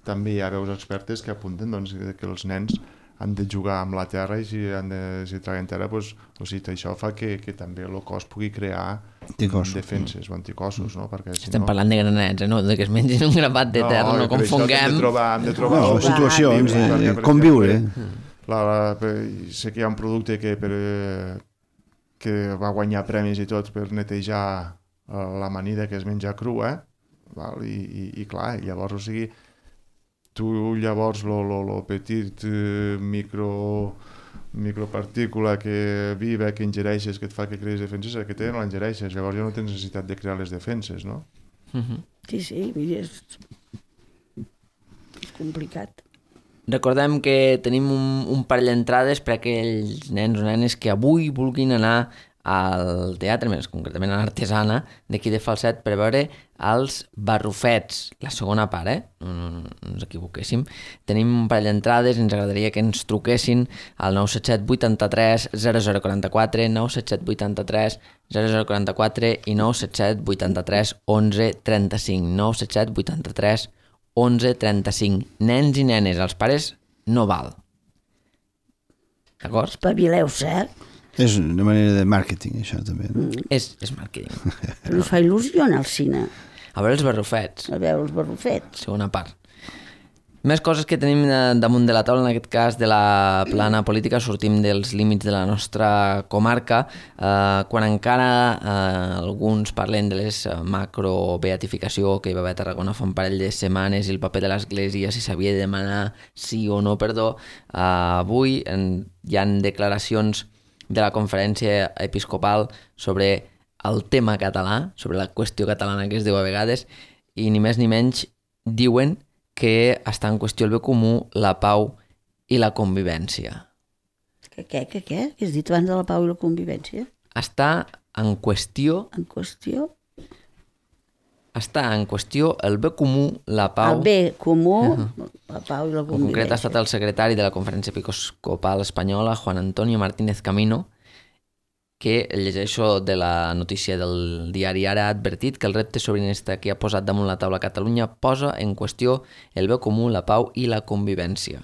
també hi ha veus expertes que apunten doncs, que els nens han de jugar amb la terra i si, han de, si traguen terra, doncs, o sigui, això fa que, que també el cos pugui crear Anticossos. defenses o anticossos, no? Perquè, si Estem no... parlant de granets, eh? No? De que es mengin un grapat de terra, no, no per això que Hem confonguem. de trobar, hem de trobar No, el- situacions, Perquè, de, per conviure. exemple, La, la, per, sé que hi ha un producte que, per, eh, que va guanyar premis i tot per netejar eh, l'amanida que es menja crua, val? I, i, i clar, llavors, o sigui, tu llavors lo, lo, lo petit eh, micro micropartícula que viva, que ingereixes, que et fa que creïs defenses, aquest no l'engereixes, llavors ja no tens necessitat de crear les defenses, no? Uh-huh. Sí, sí, mira, és, és complicat. Recordem que tenim un, un parell d'entrades per a aquells nens o nenes que avui vulguin anar al teatre, més concretament a l'Artesana d'aquí de Falset, per veure els Barrufets, la segona part, eh? No, no, no, no ens equivoquéssim. Tenim un parell d'entrades i ens agradaria que ens truquessin al nou set set vuitanta-tres zero zero quaranta-quatre, nou set set vuitanta-tres zero zero quaranta-quatre i nou set set vuitanta-tres onze trenta-cinc, nou set set vuitanta-tres onze trenta-cinc. Nens i nenes, els pares no val. D'acord? Espavileu-se, eh? És una manera de màrqueting, això, també. No? Mm. És, és màrqueting. Però us fa il·lusió anar al cine, A veure els barrufets, a veure els barrufets. segona part. Més coses que tenim damunt de la taula, en aquest cas de la plana política, sortim dels límits de la nostra comarca, eh, quan encara eh, alguns parlen de les macro-beatificació que hi va haver a Tarragona fa un parell de setmanes i el paper de l'Església, si s'havia de demanar sí o no perdó. Eh, avui en, hi ha declaracions de la conferència episcopal sobre el tema català, sobre la qüestió catalana que es diu a vegades, i ni més ni menys diuen que està en qüestió el bé comú, la pau i la convivència. Que què, que què? Que has dit abans de la pau i la convivència? Està en qüestió, En qüestió? està en qüestió el bé comú, la pau... El bé comú, la pau i la En concret ha convivència. estat el secretari de la Conferència Episcopal Espanyola, Juan Antonio Martínez Camino, que llegeixo de la notícia del diari Ara, ha advertit que el repte sobiranista que ha posat damunt la taula Catalunya posa en qüestió el bé comú, la pau i la convivència.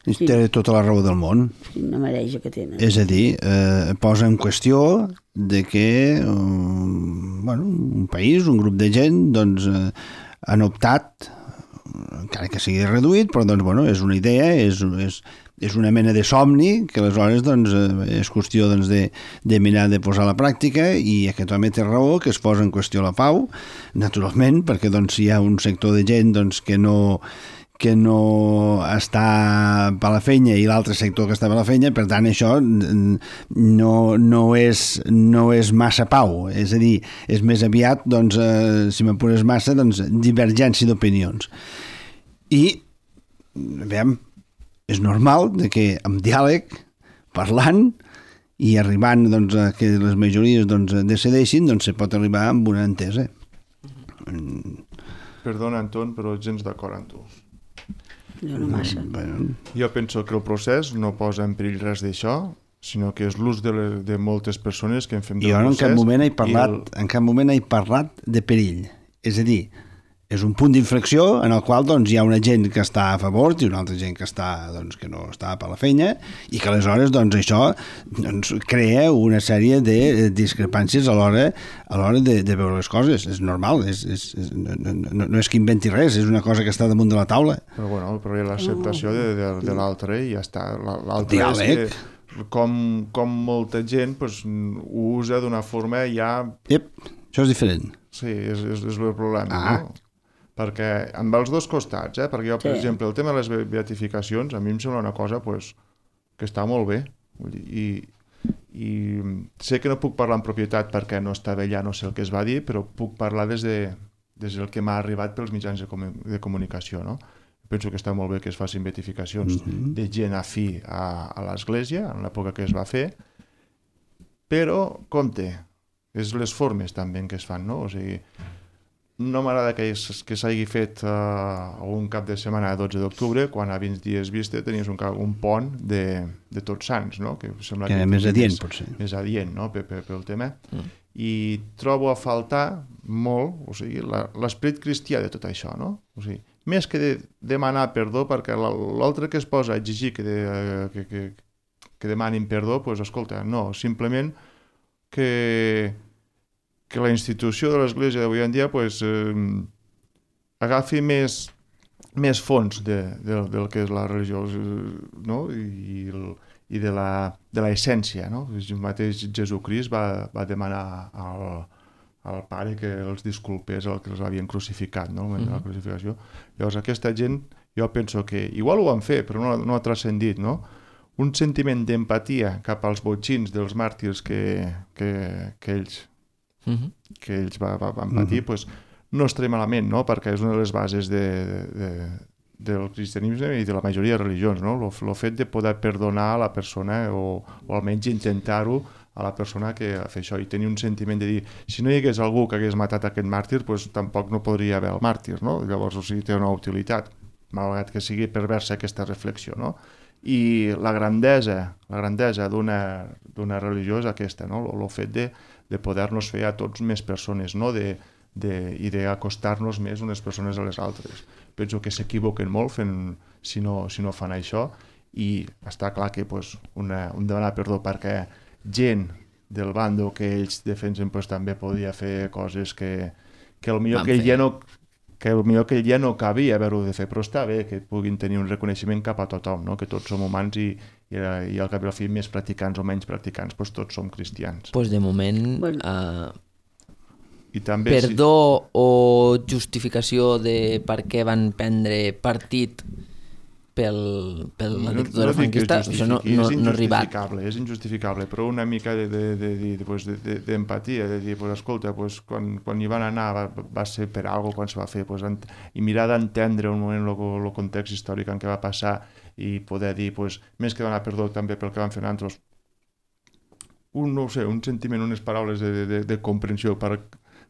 Sí. Té tota la raó del món. Quina mareja que tenen. És a dir, eh, posa en qüestió de que um, bueno, un país, un grup de gent, doncs, eh, han optat, encara que sigui reduït, però doncs, bueno, és una idea, és, és, és una mena de somni que aleshores doncs, és qüestió doncs, de, de mirar de posar a la pràctica, i aquest home té raó que es posa en qüestió la pau, naturalment, perquè doncs, hi ha un sector de gent doncs, que no que no està per la feina i l'altre sector que està per la feina, per tant això no, no, és, no és massa pau, és a dir, és més aviat, doncs, eh, si m'apures massa, doncs, divergència d'opinions. I, veiem, és normal de que amb diàleg, parlant i arribant doncs, a que les majories doncs, decideixin, doncs se pot arribar amb una entesa. Perdona, Anton, però gens d'acord amb tu. Jo no massa. Bueno, Jo penso que el procés no posa en perill res d'això, sinó que és l'ús de, le- de moltes persones que en fem del jo en procés. cap moment he parlat, i el- en cap moment he parlat de perill. És a dir, és un punt d'inflexió en el qual doncs, hi ha una gent que està a favor i una altra gent que, està, doncs, que no està per la feina, i que aleshores doncs, això doncs, crea una sèrie de discrepàncies a l'hora a l'hora de, de veure les coses. És normal, és, és, és, no, no, no és que inventi res, és una cosa que està damunt de la taula. Però bueno, però hi ha l'acceptació de, de, de l'altre i ja està. La- L'altre Diàleg. és que com, com molta gent pues, ho usa d'una forma ja... Ep, això és diferent. Sí, és, és, és el problema, Ah. no? Perquè amb els dos costats, eh? Perquè jo, per Sí. exemple, el tema de les be- beatificacions, a mi em sembla una cosa pues, que està molt bé. Vull dir, i, I sé que no puc parlar en propietat perquè no estava allà, no sé el que es va dir, però puc parlar des, de, des del que m'ha arribat pels mitjans de, comu de comunicació, no? Penso que està molt bé que es facin beatificacions mm-hmm. de gent afí a, a l'Església, en l'època que es va fer, però, compte, és les formes també en què es fan, no? O sigui, no m'agrada que, es- que s'hagi fet uh, un cap de setmana a dotze d'octubre, quan a vint dies vista tenies un, ca- un pont de, de Tots Sants, no? Que sembla Que era més adient, potser. més adient, no? Pel, pel, pel tema. Mm. I trobo a faltar molt, o sigui, la- l'esperit cristià de tot això, no? O sigui, més que de demanar perdó, perquè la- l'altre que es posa a exigir que, de, que, que, que demanin perdó, doncs, escolta, no, simplement que, que la institució de l'Església d'avui en dia pues, eh, agafi més, més fons de, de, del que és la religió, no? I, el, i de la, de la essència, no? El mateix Jesucrist va, va demanar al, al pare que els disculpés el que els havien crucificat, no? Mm -hmm. La crucificació. Llavors aquesta gent, jo penso que igual ho van fer, però no, no ha transcendit, no? Un sentiment d'empatia cap als botxins dels màrtirs que, que, que ells Mm-hmm. que ells va, va, van patir, mm -hmm. pues, no estaré malament, no? Perquè és una de les bases de, de, de, del cristianisme i de la majoria de religions, no? El fet de poder perdonar a la persona o, o almenys intentar-ho a la persona que fa això i tenir un sentiment de dir, si no hi hagués algú que hagués matat aquest màrtir, pues, tampoc no podria haver el màrtir, no? Llavors, o sigui, té una utilitat, malgrat que sigui perversa aquesta reflexió, no? I la grandesa, la grandesa d'una d'una religió és aquesta, no? El fet de de poder-nos fer a tots més persones, no? de, de, i d'acostar-nos més unes persones a les altres. Penso que s'equivoquen molt fent, si, no, si no fan això, i està clar que pues, una, un demanar perdó perquè gent del bando que ells defensen pues, també podia fer coses que, que potser que ell ja no que potser que ell ja no cabia haver-ho de fer, però està bé que puguin tenir un reconeixement cap a tothom, no? Que tots som humans i, i, i al cap i al fi més practicants o menys practicants, doncs tots som cristians. Pues de moment, Bueno. uh, I també, perdó o justificació de per què van prendre partit pel, pel la dictadura franquista, això no, no, no ha arribat. És injustificable, però una mica d'empatia, de, de, de, pues, de, de, de dir, pues, escolta, pues, quan, quan hi van anar va, va ser per alguna cosa quan se va fer, pues, ent, i mirar d'entendre un moment el context històric en què va passar i poder dir, pues, més que donar perdó també pel que van fer nosaltres, un, no sé, un sentiment, unes paraules de, de, de comprensió per,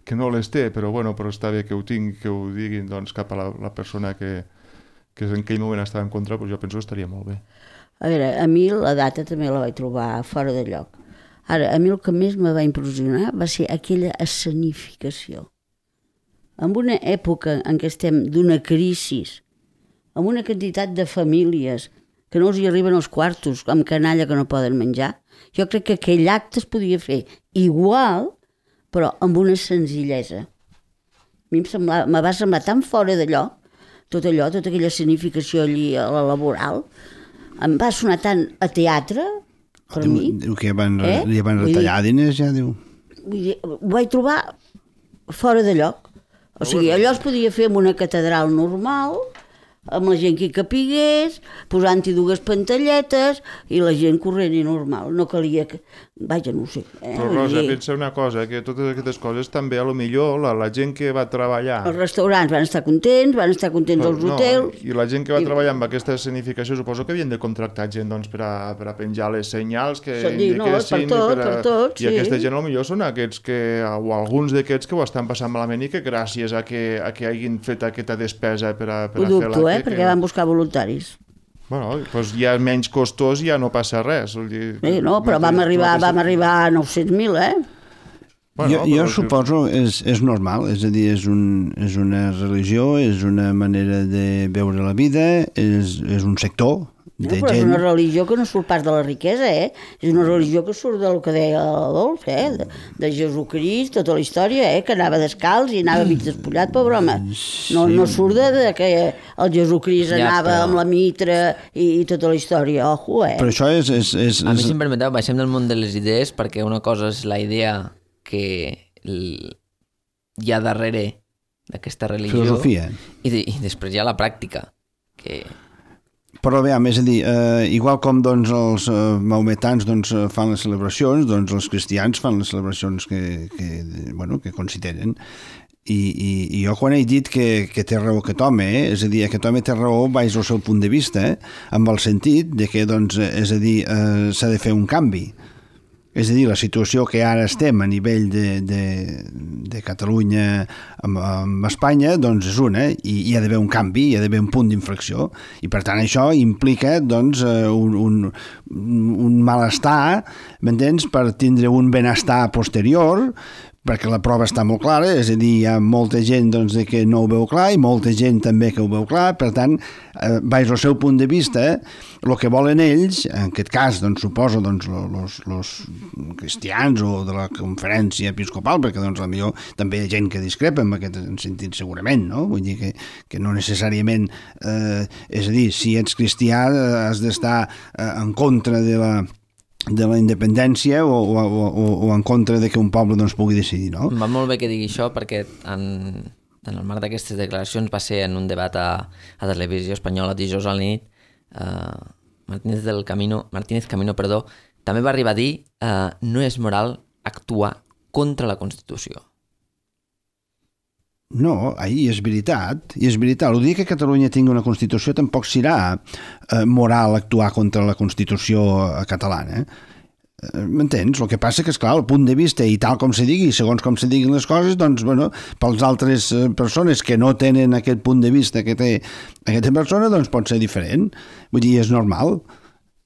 que no les té, però, bueno, però està bé que ho tingui, que ho diguin doncs, cap a la, la persona que que en aquell moment estava en contra, doncs jo penso que estaria molt bé. A veure, a mi la data també la vaig trobar fora de lloc. Ara, a mi el que més me va impressionar va ser aquella escenificació. En una època en què estem d'una crisi, amb una quantitat de famílies que no els hi arriben els quartos, amb canalla que no poden menjar, jo crec que aquell acte es podia fer igual, però amb una senzillesa. A mi em, semblava, me va semblar tan fora de lloc, tot allò, tota aquella escenificació allí a la laboral, em va sonar tant a teatre, per diu, mi. Diu que van, eh? li van retallar dir, diners, ja diu. Vull dir, ho vaig trobar fora de lloc. O sigui, allò es podia fer en una catedral normal, amb la gent que hi capigués, posant-hi dues pantalletes i la gent corrent i normal. No calia que... Vaja, no ho sé. Eh? Però Rosa, pensa una cosa, que totes aquestes coses també a lo millor la, la gent que va treballar... Els restaurants van estar contents, van estar contents els no, hotels... I la gent que va I... treballar amb aquesta escenificació suposo que havien de contractar gent doncs, per, a, per a penjar les senyals que Sí, no, per tot, per, a... per tot, I sí. aquesta gent potser són aquests que, o alguns d'aquests que ho estan passant malament i que gràcies a que, a que hagin fet aquesta despesa per a, per Ho a fer dubto, eh? l'acte... Perquè que... van buscar voluntaris. Bueno, doncs ja menys costós ja no passa res. Dir, Sí, no, però vam arribar, vam arribar a nou-cents mil, eh? Bueno, jo jo però... suposo és, és normal, és a dir, és, un, és una religió, és una manera de veure la vida, és, és un sector No, de però gent... és una religió que no surt pas de la riquesa, eh? És una religió que surt del que deia l'Adolf, eh? De, de Jesucrist, tota la història, eh? Que anava descalç i anava mig despullat, pobre home. No, no surt de, de que el Jesucrist Ja, anava però- amb la mitra i, i tota la història, ojo, eh? Però això és... és, és, A mi, és... si em permeteu, baixem del món de les idees perquè una cosa és la idea que l- hi ha darrere d'aquesta religió Filosofia. i, de, i després hi ha la pràctica que... Però bé, és a dir, eh, igual com doncs, els eh, maometans doncs, eh, fan les celebracions, doncs els cristians fan les celebracions que, que, bueno, que consideren. I, i, i jo quan he dit que, que té raó aquest home, eh, és a dir, aquest home té raó baix al seu punt de vista, eh, amb el sentit de que, doncs, és a dir, eh, s'ha de fer un canvi. És a dir, la situació que ara estem a nivell de, de, de Catalunya amb, amb Espanya, doncs és una, i hi ha d'haver un canvi, hi ha d'haver un punt d'inflexió, i per tant això implica doncs, un, un, un malestar, m'entens?, per tindre un benestar posterior, perquè la prova està molt clara, és a dir, hi ha molta gent doncs, que no ho veu clar i molta gent també que ho veu clar, per tant, eh, baix el seu punt de vista, el que volen ells, en aquest cas, doncs, suposo, doncs, los, los cristians o de la conferència episcopal, perquè doncs, potser també hi ha gent que discrepa en aquest sentit segurament, no? Vull dir que, que no necessàriament, eh, és a dir, si ets cristià has d'estar eh, en contra de la de la independència o, o, o, o en contra de que un poble doncs, pugui decidir, no? Em va molt bé que digui això perquè en, en el marc d'aquestes declaracions va ser en un debat a, a Televisió Espanyola dijous a la nit, eh, Martínez del Camino, Martínez Camino, perdó, també va arribar a dir eh, no és moral actuar contra la Constitució. No, ahir és veritat, i és veritat. El dia que Catalunya tingui una Constitució tampoc serà eh, moral actuar contra la Constitució catalana. Eh, M'entens? El que passa que, esclar, el punt de vista i tal com se digui, segons com se diguin les coses, doncs, bueno, pels altres eh, persones que no tenen aquest punt de vista que té aquesta persona, doncs pot ser diferent. Vull dir, és normal.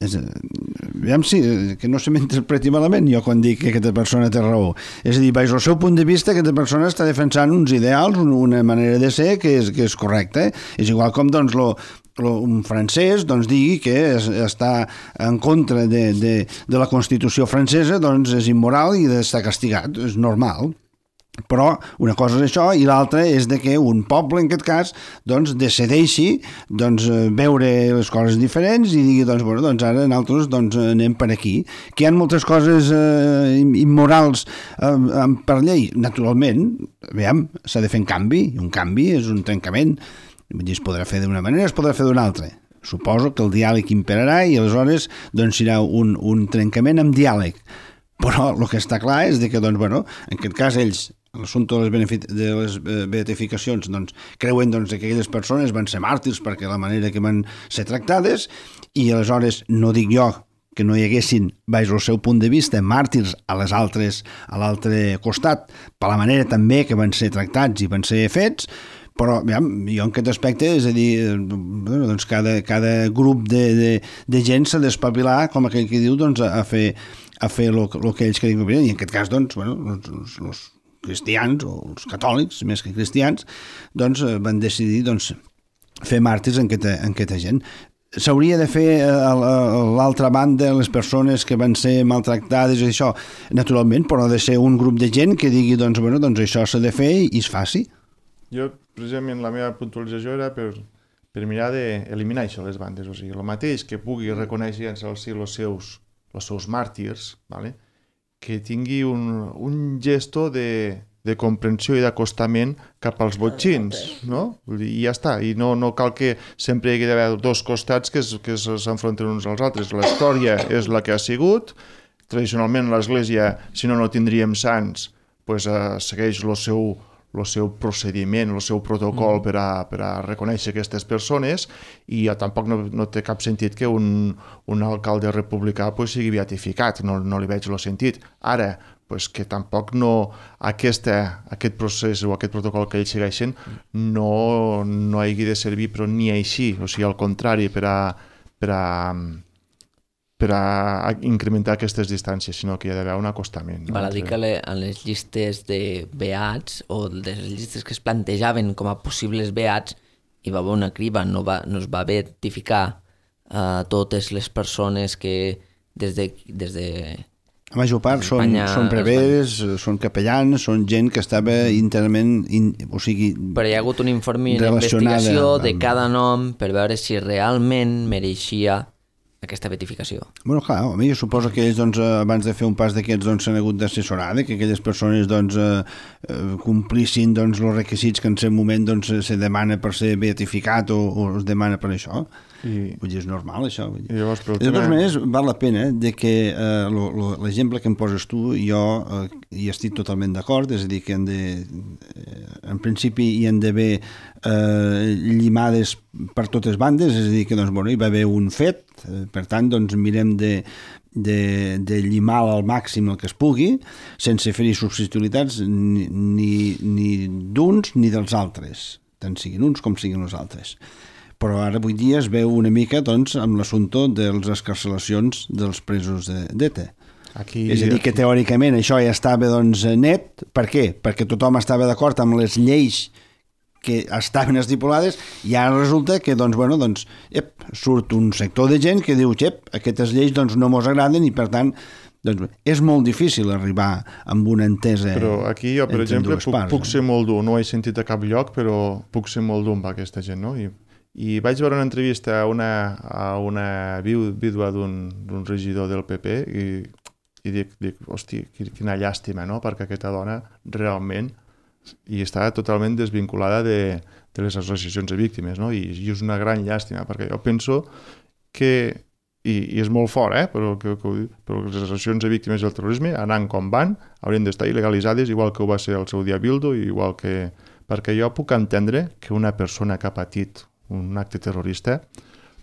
És, aviam si, que no se m'interpreti malament jo quan dic que aquesta persona té raó. És a dir, baix el seu punt de vista, aquesta persona està defensant uns ideals, una manera de ser que és, que és correcta. És igual com doncs, lo, un francès doncs, digui que es, està en contra de, de, de la Constitució francesa, doncs és immoral i d'estar castigat, és normal. Però una cosa és això i l'altra és de que un poble, en aquest cas, doncs, decideixi doncs, veure les coses diferents i digui, doncs, bueno, doncs ara nosaltres doncs, anem per aquí. Que hi ha moltes coses eh, immorals eh, per llei. Naturalment, veiem, s'ha de fer un canvi, i un canvi és un trencament. Vull dir, es podrà fer d'una manera, es podrà fer d'una altra. Suposo que el diàleg imperarà i aleshores doncs, serà un, un trencament amb diàleg. Però el que està clar és que, doncs, bueno, en aquest cas, ells, l'assumpte de les, de les beatificacions, doncs, creuen doncs, que aquelles persones van ser màrtirs perquè la manera que van ser tractades i aleshores no dic jo que no hi haguessin, baix el seu punt de vista, màrtirs a les altres, a l'altre costat, per la manera també que van ser tractats i van ser fets, però ja, jo en aquest aspecte, és a dir, bueno, doncs cada, cada grup de, de, de gent s'ha d'espavilar, com aquell que diu, doncs, a fer a fer el que ells creien que i en aquest cas, doncs, bueno, els, els cristians o els catòlics, més que cristians, doncs van decidir doncs, fer màrtirs en aquesta, en aquesta gent. S'hauria de fer a l'altra banda les persones que van ser maltractades i això, naturalment, però ha de ser un grup de gent que digui, doncs, bueno, doncs això s'ha de fer i es faci. Jo, precisament, la meva puntualització era per, per mirar d'eliminar això, les bandes. O sigui, el mateix que pugui reconèixer en si els seus, els seus màrtirs, ¿vale? Que tingui un, un gesto de, de comprensió i d'acostament cap als botxins, no? I ja està, i no, no cal que sempre hi hagi d'haver dos costats que, es, que s'enfronten uns als altres. La història és la que ha sigut, tradicionalment l'Església, si no, no tindríem sants, pues, eh, segueix el seu, el seu procediment, el seu protocol mm. per, a, per a reconèixer aquestes persones i ja tampoc no, no té cap sentit que un, un alcalde republicà pues, sigui beatificat, no, no li veig el sentit. Ara, pues, que tampoc no aquesta, aquest procés o aquest protocol que ells segueixen no, no hagi de servir però ni així, o sigui, al contrari, per a, per a per a incrementar aquestes distàncies, sinó que hi ha d'haver un acostament. No? Val a dir que en les llistes de beats o de les llistes que es plantejaven com a possibles beats hi va haver una criba, no, va, no es va beatificar a uh, totes les persones que des de... Des de la major part són, són preveres, són capellans, són gent que estava íntegrament, in, o sigui... Però hi ha hagut un informe d'investigació amb... de cada nom per veure si realment mereixia aquesta beatificació. Bueno, clar, home, jo suposo que ells, doncs, abans de fer un pas d'aquests, doncs, s'han hagut d'assessorar, que aquelles persones, doncs, eh, complissin, doncs, els requisits que en aquest moment, doncs, se demana per ser beatificat o, o es demana per això. I... Vull dir, és normal, això. Vull dir. Llavors, de totes maneres, val la pena de que eh, l'exemple que em poses tu, jo eh, hi estic totalment d'acord, és a dir, que han de, eh, en principi hi han d'haver eh, llimades per totes bandes, és a dir, que doncs, bueno, hi va haver un fet, eh, per tant, doncs, mirem de, de, de llimar al màxim el que es pugui, sense fer-hi substitulitats ni, ni, ni d'uns ni dels altres, tant siguin uns com siguin els altres. Però ara avui dia es veu una mica doncs, amb l'assumpte de les escarcelacions dels presos d'ETA. Aquí, és a dir, que teòricament això ja estava doncs, net. Per què? Perquè tothom estava d'acord amb les lleis que estaven estipulades i ara resulta que doncs, bueno, doncs, ep, surt un sector de gent que diu ep, aquestes lleis doncs, no mos agraden i per tant doncs, és molt difícil arribar amb una entesa. Però aquí jo, per exemple, puc, parts, puc ser molt dur, no ho he sentit a cap lloc, però puc ser molt dur amb aquesta gent, no? I I vaig veure una entrevista a una, a una vídua d'un regidor del P P i, i dic, dic, hosti, quina llàstima, no? Perquè aquesta dona realment i està totalment desvinculada de, de les associacions de víctimes, no? I, i és una gran llàstima, perquè jo penso que, i, i és molt fort, eh? però, que, que, però les associacions de víctimes del terrorisme, anant com van, haurien d'estar il·legalitzades, igual que ho va ser el seu dia Bildu, igual que... perquè jo puc entendre que una persona que ha patit un acte terrorista,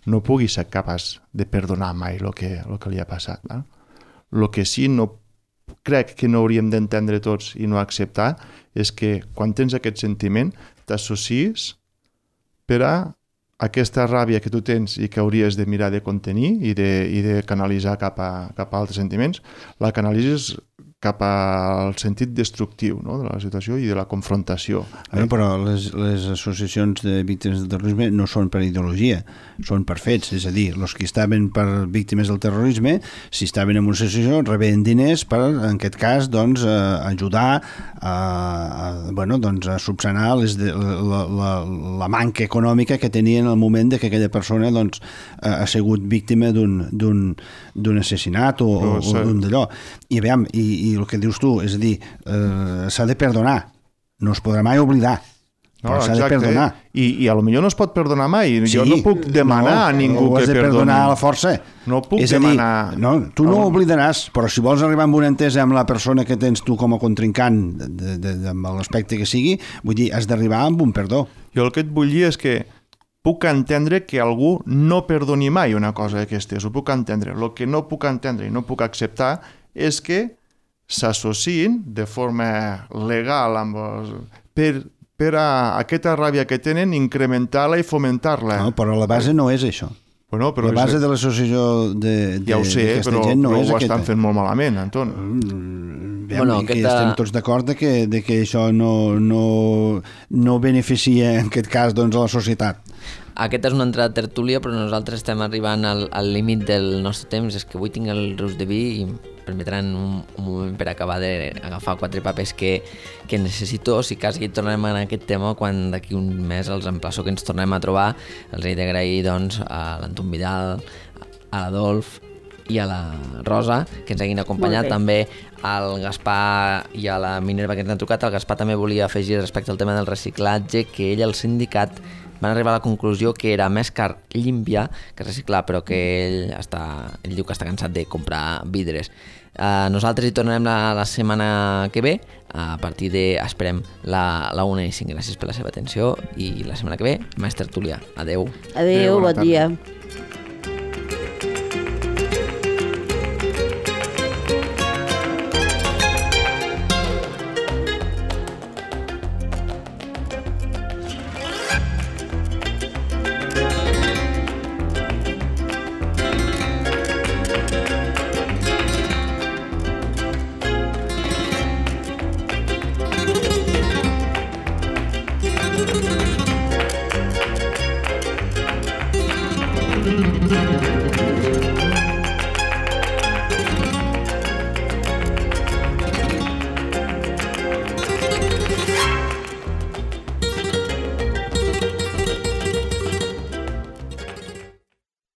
no pugui ser capaç de perdonar mai el que, el que li ha passat. El no? que sí no crec que no hauríem d'entendre tots i no acceptar és que quan tens aquest sentiment t'associes per a aquesta ràbia que tu tens i que hauries de mirar de contenir i de, i de canalitzar cap a, cap a altres sentiments, la canalitzes cap al sentit destructiu, no?, de la situació i de la confrontació. Bueno, però les, les associacions de víctimes del terrorisme no són per ideologia, són per fets, és a dir, els que estaven per víctimes del terrorisme, si estaven en una associació, rebien diners per, en aquest cas, doncs, eh, ajudar a, a, bueno, doncs, a subsanar les de, la, la, la manca econòmica que tenien en el moment de que aquella persona doncs, ha sigut víctima d'un d'un assassinat o, o, o d'un d'allò. I, aviam, i, i el que dius tu, és a dir, eh, s'ha de perdonar, no es podrà mai oblidar. No, però s'ha de perdonar. I, i a lo millor no es pot perdonar mai. Sí, jo no puc demanar no, a ningú que perdoni. Ho has de perdonar a la força. No puc és demanar... Dir, no, tu no ho oblidaràs, però si vols arribar amb una entesa amb la persona que tens tu com a contrincant, de, de, de, amb l'aspecte que sigui, vull dir, has d'arribar amb un perdó. Jo el que et vull dir és que puc entendre que algú no perdoni mai una cosa d'aquestes, ho puc entendre. El que no puc entendre i no puc acceptar és que s'associïn de forma legal amb els... per, per a aquesta ràbia que tenen incrementar-la i fomentar-la. No, però la base no és això. Bueno, però la base és... de l'associació de, de, ja ho sé, però, gent no però és ho aquesta. estan fent molt malament, Anton. Mm, bueno, que aquesta... estem tots d'acord de que, de que això no, no, no beneficia en aquest cas doncs, a la societat. Aquesta és una entrada tertúlia, però nosaltres estem arribant al, al límit del nostre temps. És que avui tinc el rus de vi i em permetran un, un moment per acabar d'agafar quatre papers que, que necessito. Si cas que tornem a aquest tema, quan d'aquí un mes els emplaço que ens tornem a trobar, els he d'agrair doncs, a l'Anton Vidal, a l'Adolf i a la Rosa, que ens hagin acompanyat, també al Gaspar i a la Minerva que ens han trucat. El Gaspar també volia afegir respecte al tema del reciclatge, que ell, el sindicat, van arribar a la conclusió que era més car limpiar que reciclar, però que ell, està, ell diu que està cansat de comprar vidres. Uh, nosaltres hi tornarem la, la setmana que ve, a partir de, esperem, la, la una i cinc. Gràcies per la seva atenció i la setmana que ve, més tertúlia. Adeu. Adeu, bon dia. Thank you.